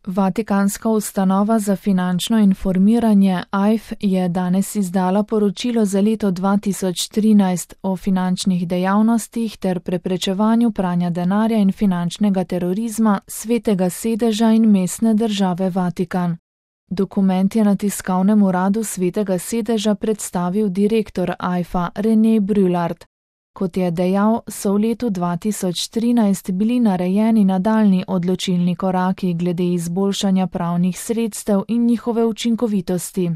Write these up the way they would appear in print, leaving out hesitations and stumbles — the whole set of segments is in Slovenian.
Vatikanska ustanova za finančno informiranje AIF je danes izdala poročilo za leto 2013 o finančnih dejavnostih ter preprečevanju pranja denarja in finančnega terorizma Svetega sedeža in mestne države Vatikan. Dokument je na tiskovnem uradu Svetega sedeža predstavil direktor AIF-a René Brulart. Kot je dejal, so v letu 2013 bili narejeni nadaljnji odločilni koraki glede izboljšanja pravnih sredstev in njihove učinkovitosti.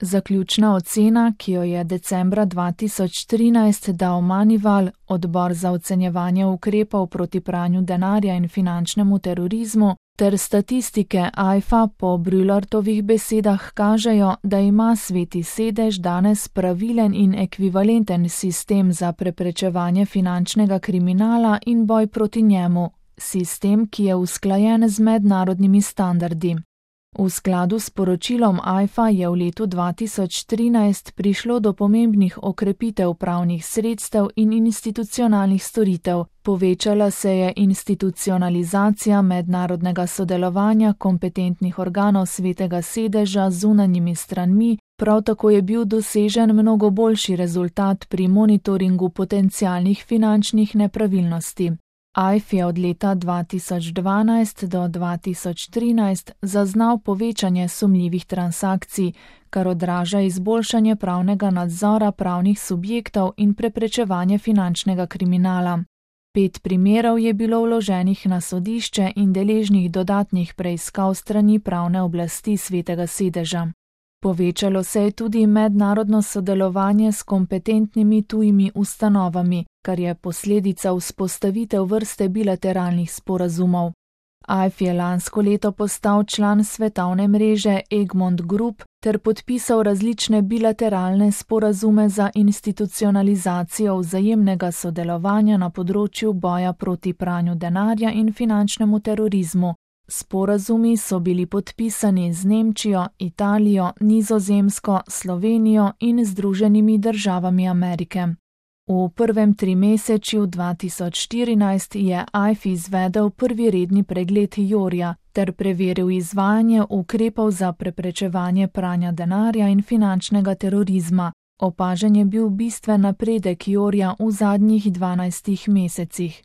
Zaključna ocena, ki jo je decembra 2013 dal Manival, odbor za ocenjevanje ukrepov proti pranju denarja in finančnemu terorizmu, ter statistike AIF-a po Brulartovih besedah kažejo, da ima Sveti sedež danes pravilen in ekvivalenten sistem za preprečevanje finančnega kriminala in boj proti njemu, sistem, ki je usklajen z mednarodnimi standardi. V skladu s poročilom AIF-a je v letu 2013 prišlo do pomembnih okrepitev pravnih sredstev in institucionalnih storitev, povečala se je institucionalizacija mednarodnega sodelovanja kompetentnih organov Svetega sedeža z zunanjimi stranmi, prav tako je bil dosežen mnogo boljši rezultat pri monitoringu potencialnih finančnih nepravilnosti. AIF je od leta 2012 do 2013 zaznal povečanje sumljivih transakcij, kar odraža izboljšanje pravnega nadzora pravnih subjektov in preprečevanje finančnega kriminala. 5 primerov je bilo vloženih na sodišče in deležnih dodatnih preiskav strani pravne oblasti Svetega sedeža. Povečalo se je tudi mednarodno sodelovanje s kompetentnimi tujimi ustanovami, kar je posledica vzpostavitev vrste bilateralnih sporazumov. AIF je lansko leto postal član svetovne mreže Egmont Group ter podpisal različne bilateralne sporazume za institucionalizacijo vzajemnega sodelovanja na področju boja proti pranju denarja in finančnemu terorizmu. Sporazumi so bili podpisani z Nemčijo, Italijo, Nizozemsko, Slovenijo in Združenimi državami Amerike. V prvem trimesečju 2014 je AIF izvedel prvi redni pregled Jorja ter preveril izvajanje ukrepov za preprečevanje pranja denarja in finančnega terorizma. Opažen je bil bistven napredek Jorja v zadnjih 12 mesecih.